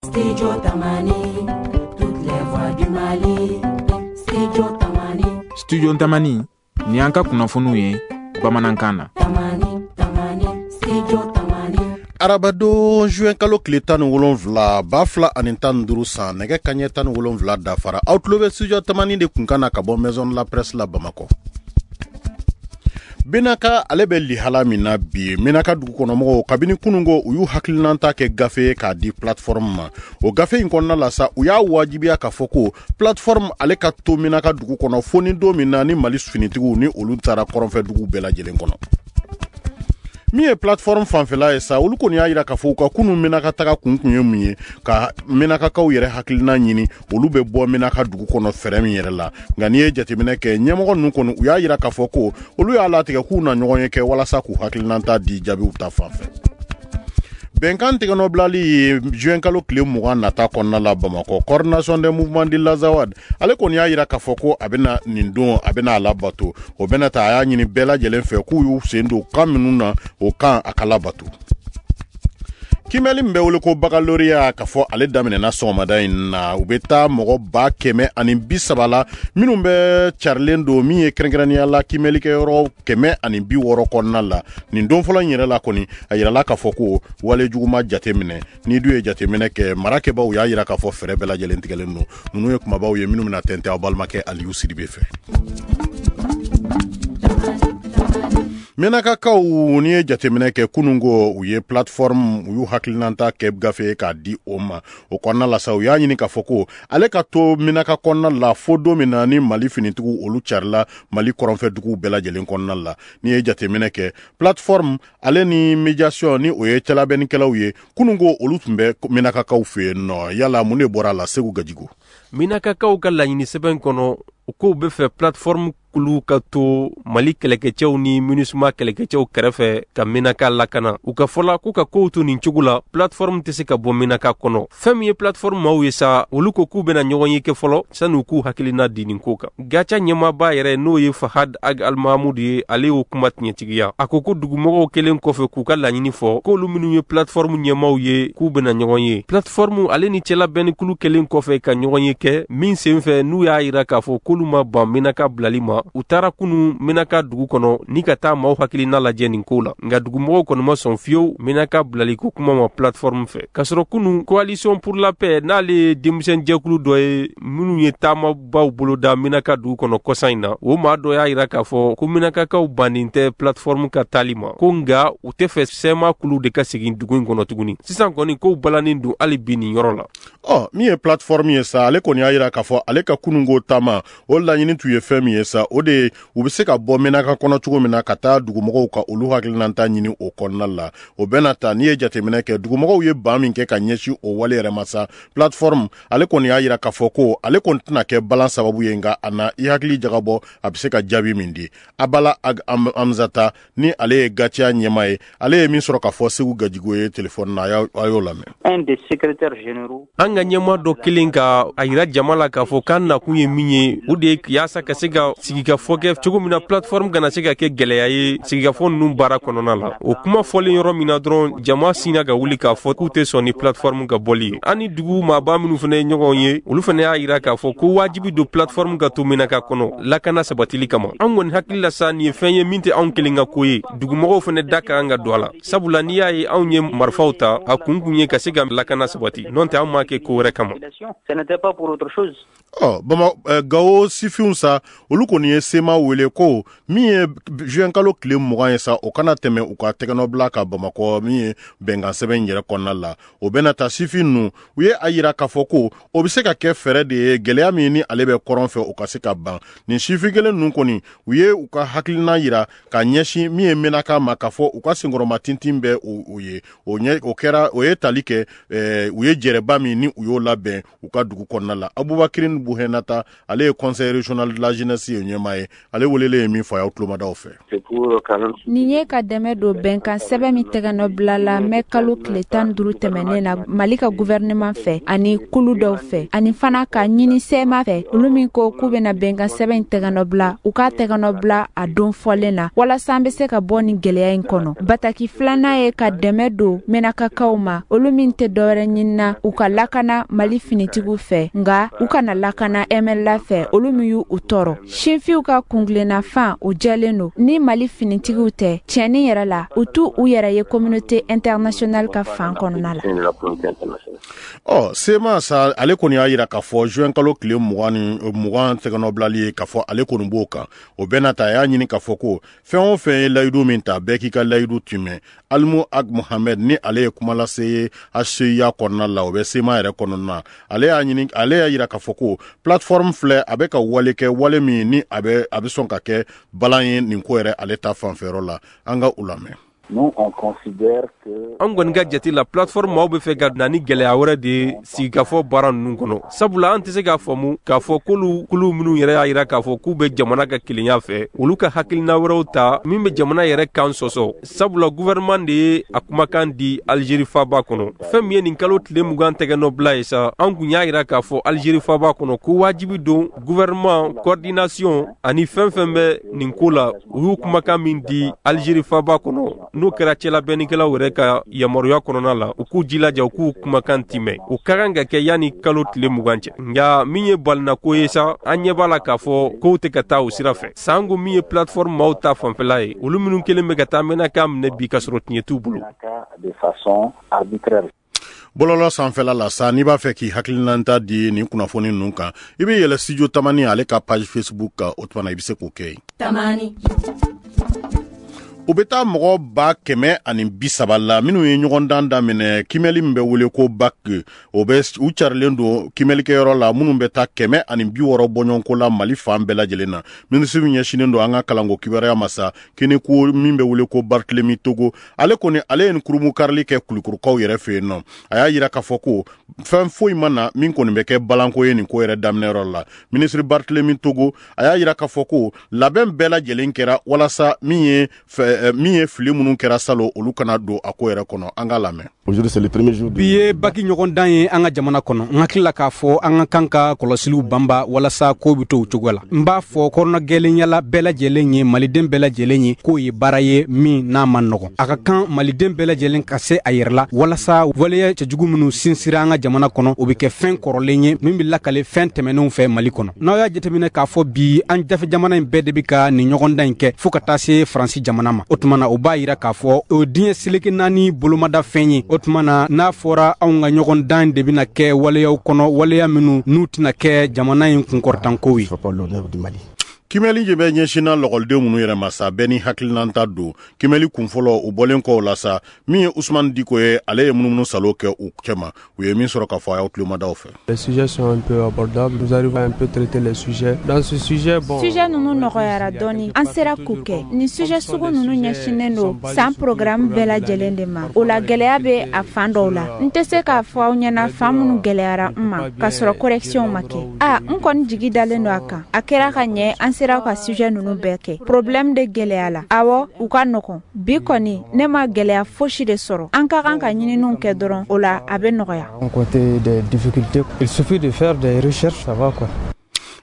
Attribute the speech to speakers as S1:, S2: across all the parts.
S1: Studio Tamani, toutes les voix du Mali. Studio Tamani.
S2: Studio Tamani, ni y'an ka kunnafoniw ye bamanankan na.
S1: Tamani, Tamani, Studio Tamani.
S3: Arabadon juin kalo tile 17 2015 san, nɛgɛ kaɲɛ 17 dafara. Aw tulo bɛ Studio Tamani de kunkan na ka bɔ Maison de la Presse la Bamakɔ. Menaka ale bɛ lihala min na bi, Menaka dugukɔnɔmɔgɔw kabini kununko u y'u hakilinata kɛ gafe ye k'a di plateforme ma. O gafe in kɔnɔna la sa, u y'a wajibiya k'a fɔ ko plateforme ale ka to Menaka dugu kɔnɔ fo ni don min na ni Mali finitigiw ni olu taara kɔrɔnfɛ dugu bɛɛ lajɛlen kɔnɔ. Min ye plateforme fanfɛla ye sa, olu kɔni y'a jira k'a fɔ u ka kunun Menaka taga kun kun ye mun ye, ka Menakakaw yɛrɛ hakilina ɲini olu bɛ bɔ Menaka dugu kɔnɔ fɛɛrɛ min yɛrɛ la. Nka n'i ye jateminɛ kɛ, ɲɛmɔgɔ ninnu kɔni u y'a jira k'a fɔ ko olu y'a latigɛ k'u na ɲɔgɔn ye kɛ walasa k'u hakilinata di jaabiw ta fanfɛ. Bɛnkan tɛgɛnɔbilali ye juin kalo tile 20 nata kɔnɔna la Bamakɔ. Coordination des mouvements de l'Azawad ale kɔni y'a jira k'a fɔ ko a bɛna nin don, a bɛna a labato. O bɛna ta, a y'a ɲini bɛɛ lajɛlen fɛ k'u y'u sen don kan minnu na, o kan a ka labato. Kimɛli min bɛ wele ko baccalauréat, k'a fɔ ale daminɛna sɔgɔmada in na. U bɛ taa mɔgɔ 130,000 la minnu bɛ carilen don min ye kɛrɛnkɛrɛnnenya la kimɛlikɛyɔrɔ 160 kɔnɔna la. Nin don fɔlɔ in yɛrɛ la kɔni, a yirala k'a fɔ ko wale jugu ma jateminɛ. N'i dun ye jateminɛ kɛ, marakɛbaw y'a yira k'a fɔ fɛɛrɛ bɛɛ lajɛlen tigɛlen don. Ninnu ye kumabaw ye minnu bɛna tɛntɛn aw balimakɛ Aliyu Sidibe fɛ. Menakakaw, n'i ye jateminɛ kɛ kununko, u ye plateforme, u y'u hakilinata kɛ gafe k'a di o ma. O kɔnɔna la sa, u y'a ɲini k'a fɔ ko ale ka to Menaka kɔnɔna la fo don min na ni Mali finitigiw olu carila Mali kɔrɔnfɛ duguw bɛɛ lajɛlen kɔnɔna la. N'i ye jateminɛ kɛ, plateforme ale ni médiation ni o ye cɛlabɛnnikɛlaw ye, kununko olu tun bɛ Menakakaw fɛ yen nɔ. Yala mun de bɔra a la, Segu Gajigo?
S4: Menakakaw ka laɲini sɛbɛn kɔnɔ, u k'u bɛ fɛ plateforme kulu ka to Mali kɛlɛkɛcɛw ni MINUSMA kɛlɛkɛcɛw kɛrɛfɛ ka Menaka lakana. U ka fɔla k'u ka kow to nin cogo la, plateforme tɛ se ka bɔ Menaka kɔnɔ. Fɛn min ye plateforme maaw ye sa, olu ko k'u bɛna ɲɔgɔn ye kɛ fɔlɔ sani u k'u hakilina di nin ko kan. Gaca ɲɛmaaba yɛrɛ, n'o ye Fahad Ag Almahamud ye, ale y'o kuma tiɲɛtigiya. A ko ko dugumɔgɔw kɛlen kɔfɛ k'u ka laɲini fɔ, k'olu minnu ye plateforme ɲɛmaaw ye, k'u bɛna ɲɔgɔn ye. Plateforme ale ni cɛlabɛnnikulu kɛlen kɔfɛ ka ɲɔgɔn ye kɛ min senfɛ, n'u y'a yira k'a fɔ k'olu ma ban Menaka bilali ma, u taara kunu Menaka dugu kɔnɔ ni ka taa maaw hakilina lajɛ nin ko la. Nka dugumɔgɔw kɔni ma sɔn fiyewu Menaka bilali ko kuma ma plateforme fɛ. K'a sɔrɔ kunu Coalition pour la paix, n'ale ye denmisɛn jɛkulu dɔ ye minnu ye taamabaw boloda Menaka dugu kɔnɔ kɔsa in na, o maa dɔ y'a yira k'a fɔ ko Menakakaw bannen tɛ plateforme ka taali ma, ko nka u tɛ fɛ CMA kulu de ka segin dugu in kɔnɔ tuguni. Sisan kɔni kow balannen don hali bi nin yɔrɔ la.
S3: Min ye plateforme ye sa, ale kɔni y'a yira k'a fɔ ale ka kununko taama, o laɲini tun ye fɛn min ye sa, o de ye u bɛ se ka bɔ Menaka kɔnɔ cogo min na ka taa dugumɔgɔw ka olu hakilinata ɲini o kɔnɔna la. O bɛna ta, n'i ye jateminɛ kɛ, dugumɔgɔw ye ban min kɛ ka ɲɛsin o wale yɛrɛ ma sa, plateforme ale kɔni y'a yira k'a fɔ ko ale kɔni tɛna kɛ balan sababu ye, nka a na i hakili jagabɔ a bɛ se ka jaabi min di. Abala Ag Amzata ni ale ye Gatia ɲɛmaa ye, ale ye min sɔrɔ k'a fɔ Segu Gajigo ye telefɔni na, a y'o lamɛn.
S5: Un des secrétaires généraux.
S4: An ka ɲɛmaa dɔ kelen ka a yira jama la k'a fɔ k'an nakun ye min ye, o de ye yaasa ka se ka sigikafɔ kɛ cogo min na plateforme kana se ka kɛ gɛlɛya ye sigikafɔ ninnu baara kɔnɔna la. O kuma fɔlen yɔrɔ min na dɔrɔn, jama sinna ka wuli k'a fɔ k'u tɛ sɔn ni plateforme ka bɔli ye. An ni dugu maaba minnu fana ye ɲɔgɔn ye, olu fana y'a yira k'a fɔ ko wajibi don plateforme ka to Menaka kɔnɔ lakana sabatili kama. An kɔni hakili la sa, nin ye fɛn ye min tɛ anw kelen ka ko ye, dugumɔgɔw fana da ka kan ka don a la. Sabula n'i y'a ye anw ye marifaw ta, a kun kun ye ka se ka lakana sabati, n'o tɛ anw m'a kɛ ko wɛrɛ kama.
S5: Ce n'était pas pour autre chose.
S3: Gawo sifinw sa, olu kɔni ye CMA wele ko min ye juin kalo tile 20 ye sa, o kana tɛmɛ u ka tɛgɛnɔbila ka Bamakɔ min ye bɛnkan sɛbɛn yɛrɛ kɔnɔna la. O bɛna ta, sifin ninnu u ye a yira k'a fɔ ko o bɛ se ka kɛ fɛɛrɛ de ye gɛlɛya min ni ale bɛ kɔrɔn fɛ, o ka se ka ban. Nin sifin kelen ninnu kɔni, u ye u ka hakilina yira ka ɲɛsin min ye Menaka ma, k'a fɔ u ka senkɔrɔma tintin bɛ o ye. O ɲɛ, o kɛra, o ye tali kɛ, u ye jɛrɛba min ni u y'o labɛn u ka dugu kɔnɔna la. Abubakar Lamine Bouhenata, ale ye conseil régional de la jeunesse ye ɲɛmaa ye. Ale welelen ye min fɔ, a y'aw tulomadaw fɛ.
S6: Nin ye ka dɛmɛ don bɛnkan sɛbɛn min tɛgɛnɔ bilala mɛ kalo tile 15 tɛmɛnen na Mali ka gouvernement fɛ ani kulu dɔw fɛ, ani fana ka ɲini CMA fɛ, olu min ko k'u bɛna bɛnkan sɛbɛn in tɛgɛnɔ bila, u k'a tɛgɛnɔ bila a don fɔlen na, walasa an bɛ se ka bɔ nin gɛlɛya in kɔnɔ. Bataki filanan ye ka dɛmɛ don Menakakaw ma, olu min tɛ dɔwɛrɛ ɲinina u ka lakana Mali finitigiw fɛ, nka u kana lakana MNLA fɛ, olu min y'u tɔɔrɔ. Sinfinw ka kuntilenna fan o jɛlen don, ni Mali finitigiw tɛ, tiɲɛni yɛrɛ la, u t'u u yɛrɛ ye communauté internationale ka fan kɔnɔna la.
S3: Ɔ, CMA sa, ale kɔni y'a yira k'a fɔ juin kalo tile 20 tɛgɛnɔbilali ye, k'a fɔ ale kɔni b'o kan. O bɛɛ n'a ta, a y'a ɲini k'a fɔ ko fɛn o fɛn ye layidu min ta, bɛɛ k'i ka layidu timɛ. Alimu Ag Mohamed, ni ale ye kuma lase ye HCUA kɔnɔna la, o bɛ CMA yɛrɛ kɔnɔna na, ale y'a ɲini, ale y'a yira k'a fɔ ko plateforme filɛ, a bɛ ka wale kɛ, wale min ni a bɛ sɔn ka kɛ balan ye nin ko yɛrɛ ale ta fanfɛyɔrɔ la. An ka u lamɛn.
S4: An kɔni ka jate la, plateforme maaw bɛ fɛ ka na ni gɛlɛya wɛrɛ de ye sigikafɔ baara ninnu kɔnɔ, sabula an tɛ se k'a faamu k'a fɔ k'olu kulu minnu yɛrɛ y'a yira k'a fɔ k'u bɛ jamana ka kelenya fɛ, olu ka hakilina wɛrɛw ta min bɛ jamana yɛrɛ kan sɔsɔ, sabula gouvernement de ye a kumakan di Algérie faba kɔnɔ. Fɛn min ye nin kalo tile 20 tɛgɛnɔ bila ye sa, an kun y'a yira k'a fɔ Algérie faba kɔnɔ ko wajibi don gouvernement, coordination ani fɛn fɛn bɛ nin ko la, u y'u kumakan min di Algérie faba kɔnɔ, n'o kɛra cɛlabɛnnikɛlaw yɛrɛ ka yamaruya kɔnɔna la, u k'u jilaja u k'u kumakan timɛ. O ka kan ka kɛ yanni kalo tile 20 cɛ. Nka min ye balinako ye sa, an ɲɛ b'a la k'a fɔ kow tɛ ka taa o sira fɛ. Sango min ye plateforme maaw ta fanfɛla ye, olu minnu kelen bɛ ka taa Menaka minɛ bi ka sɔrɔ tiɲɛ t'u bolo.
S3: Bɔlɔlɔ sanfɛla la sa, n'i b'a fɛ k'i hakilinata di nin kunnafoni ninnu kan, i bɛ yɛlɛ Studio Tamani ale ka page Facebook kan. O tuma na, i bɛ se k'o kɛ yen.
S1: Tamani.
S3: U bɛ taa mɔgɔ 130,000 la minnu ye ɲɔgɔndan daminɛ kimɛli min bɛ wele ko bac, o bɛ u carilen don kimɛlikɛyɔrɔ la, minnu bɛ taa 160 bɔɲɔgɔnko la Mali fan bɛɛ lajɛlen na. Minisiri min ɲɛsinnen don an ka kalanko kibaruya ma sa, kiniko min bɛ wele ko Barthélemy Togo, ale kɔni, ale ye nin kurunbonkarili kɛ Kulukorokaw yɛrɛ fɛ yen nɔ. A y'a yira k'a fɔ ko fɛn foyi ma na min kɔni bɛ kɛ balanko ye nin ko yɛrɛ daminɛyɔrɔ la. Minisiri Barthélemy Togo, a y'a yira k'a fɔ ko labɛn bɛɛ lajɛlen kɛra walasa min ye fili minnu kɛra salon, olu kana don a ko yɛrɛ kɔnɔ. An ka lamɛn.
S7: Bi ye bac ɲɔgɔndan ye an ka jamana kɔnɔ. N hakili la k'a fɔ an ka kan ka kɔlɔsiliw banba walasa ko bɛ to o cogo la. N b'a fɔ kɔnɔna gɛlɛnyala bɛɛ lajɛlen ye, maliden bɛɛ lajɛlen ye, k'o ye baara ye min n'a ma nɔgɔn. A ka kan maliden bɛɛ lajɛlen ka se a yɛrɛ la, walasa waleya cɛjugu minnu sinsira an ka jamana kɔnɔ, o bɛ kɛ fɛn kɔrɔlen ye min bɛ lakale fɛn tɛmɛnenw fɛ Mali kɔnɔ. N'aw y'a jateminɛ k'a fɔ bi, an dafɛ jamana in bɛɛ de bɛ ka nin ɲɔgɔndan in kɛ, fɔɔ ka taa se Faransi jamana ma. O tuma na, o b'a yira k'a fɔ o diɲɛ seleke naani bolomada fɛn ye. O tuma na, n'a fɔra anw ka ɲɔgɔndan de bɛna kɛ waleyaw kɔnɔ, waleya minnu n'u tɛna kɛ jamana in kunkɔrɔtankow ye.
S3: Kimɛli de bɛ ɲɛsinna lɔgɔliden minnu yɛrɛ ma sa, bɛɛ ni hakilinanta don. Kimɛli kunfɔlɔ, u bɔlen kɔ o la sa, min ye Usumani Diko ye, ale ye munumunu salo kɛ u cɛma. U ye min sɔrɔ k'a fɔ, a y'aw tulomadaw fɛ.
S8: Les sujets sont un peu abordables. Nous arrivons à un peu traiter les sujets. Dans ce sujet, bon.
S6: Sujet ninnu nɔgɔyara dɔɔni, an sera k'u kɛ. Ni sujet sugu ninnu ɲɛsinnen don san programme bɛɛ lajɛlen de ma. O la, gɛlɛya bɛ a fan dɔw la. N tɛ se k'a fɔ aw ɲɛna fan minnu gɛlɛyara n ma, k'a sɔrɔ correction ma kɛ. A n kɔni jigi dalen don a kan. A kɛra ka ɲɛ, an sera ka sujet ninnu bɛɛ kɛ. Problème de gɛlɛya la. Awɔ, u ka nɔgɔn. Bi kɔni, ne ma gɛlɛya fosi de sɔrɔ. An ka kan ka ɲininiw kɛ dɔrɔn, o la a bɛ nɔgɔya.
S8: Côté des difficultés, il suffit de faire des recherches, ça va quoi.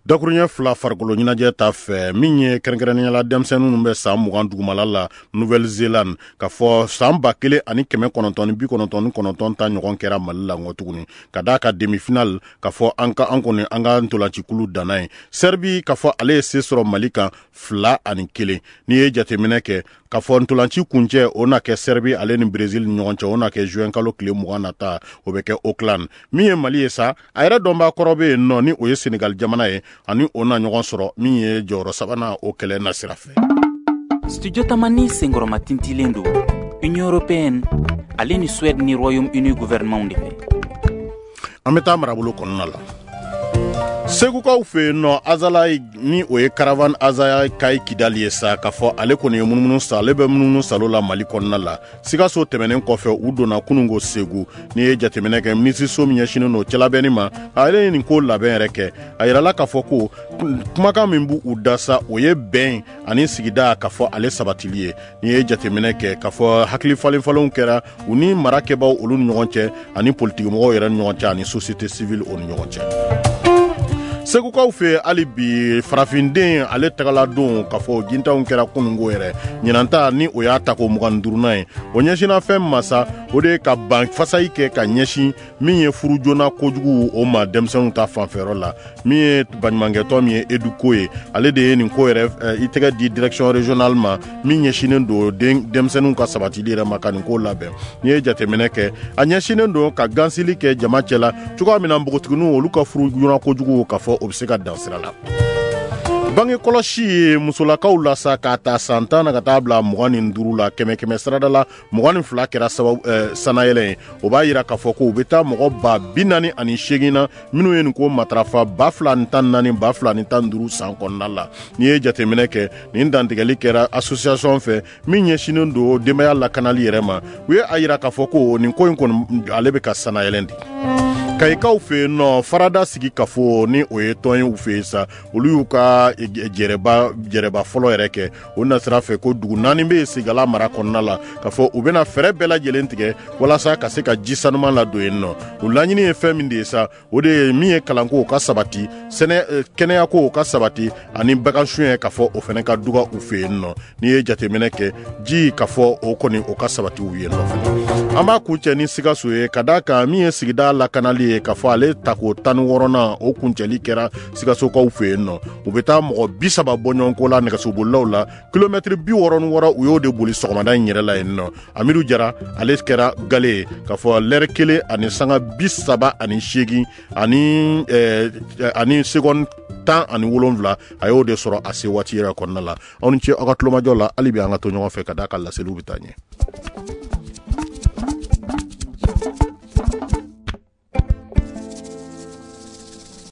S3: Dakuruɲɛ fila, farikolo ɲɛnajɛ ta fɛ, min ye kɛrɛnkɛrɛnnenya la denmisɛnnin minnu bɛ san 20 dugumala la Nouvelle Zélande, ka fɔ san 1999 ta ɲɔgɔn kɛra Mali la ngɔ tuguni, ka d'a ka demi finale, ka fɔ an ka an kɔni an ka ntolacikulu danna ye. Serbie, ka fɔ ale ye se sɔrɔ Mali kan 2-1. N'i ye jateminɛ kɛ ka fɔ ntolanci kuncɛ, o na kɛ Serbie ale ni Brésil ni ɲɔgɔn cɛ, o na kɛ juin kalo tile 20 nata, o bɛ kɛ Auckland. Min ye Mali ye sa, a yɛrɛ dɔnbaa kɔrɔ bɛ yen nɔ, ni o ye Sénégal jamana ye, ani o na ɲɔgɔn sɔrɔ min ye jɔyɔrɔ sabanan o kɛlɛ nasira fɛ.
S9: Studio Tamani senkɔrɔma tintilen don Union européenne ale ni Suède ni Royaume-Uni gouvernement de fɛ.
S3: An bɛ taa marabolo kɔnɔna la. Segukaw fɛ yen nɔ, Azalayi, ni o ye caravane Azalayi Kayi Kidali ye sa, k'a fɔ ale kɔni ye munumunu sa, ale bɛ munumunu salo la Mali kɔnɔna la. Sikaso tɛmɛnen kɔfɛ, u donna kunungo Segu. N'i ye jateminɛ kɛ, minisiriso min ɲɛsinnen don cɛlabɛnni ma, ale ye nin ko labɛn yɛrɛ kɛ. A yirala k'a fɔ ko kumakan min b'u da sa, o ye bɛn ani sigida k'a fɔ ale sabatili ye. N'i ye jateminɛ kɛ, k'a fɔ hakili falenfalenw kɛra u ni mara kɛbaw olu ni ɲɔgɔn cɛ, ani politikimɔgɔw yɛrɛ ni ɲɔgɔn cɛ, ani société civile o ni ɲɔgɔn cɛ. Segukaw fɛ hali bi, farafinden ale tagala don k'a fɔ gintanw kɛra kunungo yɛrɛ. Ɲinanta ni o y'a tako 25nan ye, o ɲɛsinna fɛn masa, o de ye ka ban fasayi kɛ ka ɲɛsin min ye furu joona kojugu o ma denmisɛnninw ta fanfɛyɔrɔ la. Min ye baɲumankɛtɔn min ye Eduko ye, ale de ye nin ko yɛrɛ i tɛgɛ di direction régionale ma min ɲɛsinnen don denmisɛnninw ka sabatili yɛrɛ ma ka nin ko labɛn. N'i ye jateminɛ kɛ, a ɲɛsinnen don ka gansili kɛ jama cɛ la cogoya min na npogotigininw olu ka furu joona kojugu k'a fɔ o bɛ se ka dan sira la. Bange kɔlɔsi ye musolakaw la sa, k'a ta san 10 na ka taa bila 25 la, kɛmɛ kɛmɛ sarada la 22 kɛra sababu sanayɛlɛ ye. O b'a yira k'a fɔ ko u bɛ taa mɔgɔ 48,000 na minnu ye nin ko matarafa 2014 2015 san kɔnɔna la. N'i ye jateminɛ kɛ, nin dantigɛli kɛra association fɛ min ɲɛsinnen don denbaya lakanali yɛrɛ ma. U ye a yira k'a fɔ ko nin ko in kɔni ale bɛ ka sanayɛlɛ de. Kayikaw fɛ yen nɔ, farada sigi kafo ni o ye tɔn ye u fɛ yen sa, olu y'u ka jɛrɛba fɔlɔ yɛrɛ kɛ. O nasira fɛ ko dugu 4 bɛ yen Segala mara kɔnɔna la, k'a fɔ u bɛna fɛɛrɛ bɛɛ lajɛlen tigɛ walasa ka se ka ji sanuman ladon yen nɔ. O laɲini ye fɛn min de ye sa, o de ye min ye kalanko ka sabati, sɛnɛ kɛnɛyako ka sabati, ani bagan suɲɛ k'a fɔ o fana ka duga u fɛ yen nɔ. N'i ye jateminɛ kɛ, ji k'a fɔ o kɔni o ka sabati u ye nɔ fana. An b'a kuncɛ ni Sikaso ye, ka d'a kan min ye sigida lakanali ye, k'a fɔ ale tako 16nan o kuncɛli kɛra Sikasokaw fɛ yen nɔ. U bɛ taa mɔgɔ 30 bɔɲɔgɔnko la nɛgɛsobolilaw la, kilomɛtiri 66 u y'o de boli sɔgɔmada in yɛrɛ la yen nɔ. Amidu Jara ale kɛra gale ye, k'a fɔ lɛrɛ 1 ani sanga 38 ani seconde 17, a y'o de sɔrɔ a se waati yɛrɛ kɔnɔna la. Aw ni ce aw ka tulomajɔ la, hali bi an ka to ɲɔgɔn fɛ ka d'a ka laseliw bɛ taa ɲɛ.